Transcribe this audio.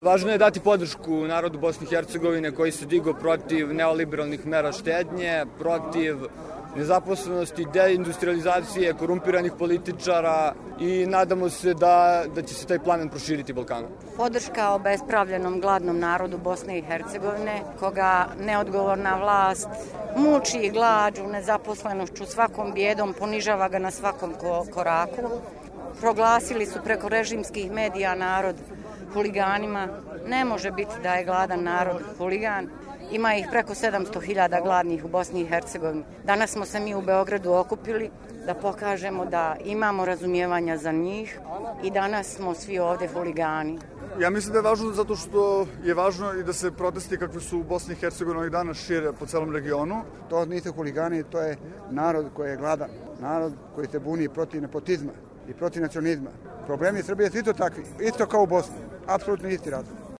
Važno je dati podršku narodu Bosne i Hercegovine koji se digao protiv neoliberalnih mera štednje, protiv nezaposlenosti, deindustrializacije, korumpiranih političara i nadamo se da će se taj plamen proširiti Balkanom. Podrška obespravljenom gladnom narodu Bosne i Hercegovine, koga neodgovorna vlast muči glađu, nezaposlenošću, svakom bijedom, ponižava ga na svakom koraku. Proglasili su preko režimskih medija narod huliganima. Ne može biti da je gladan narod huligan. Ima ih preko 700.000 gladnih u Bosni i Hercegovini. Danas smo se mi u Beogradu okupili da pokažemo da imamo razumijevanja za njih i danas smo svi ovde huligani. Ja mislim da je važno zato što je važno i da se protesti kakve su u Bosni i Hercegovini ovih dana šire po celom regionu. To nisu huligani, to je narod koji je gladan, narod koji se buni protiv nepotizma i protiv nacionalizma. Problemi Srbije su isto takvi, isto kao u Bosni, apsolutno isti razlog.